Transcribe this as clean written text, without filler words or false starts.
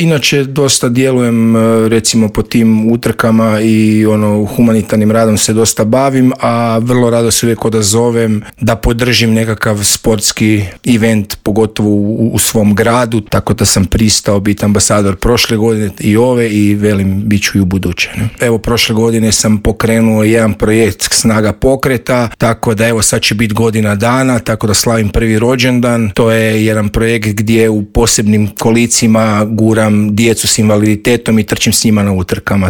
Inače dosta djelujem recimo po tim utrkama i humanitarnim radom se dosta bavim, a vrlo rado se uvijek odazovem da podržim nekakav sportski event, pogotovo u svom gradu, tako da sam pristao biti ambasador prošle godine i ove i velim bit ću i u buduće. Evo prošle godine sam pokrenuo jedan projekt Snaga pokreta, tako da evo sad će biti godina dana, tako da slavim prvi rođendan. To je jedan projekt gdje u posebnim kolicima guram djecu s invaliditetom i trčim s njima na utrkama.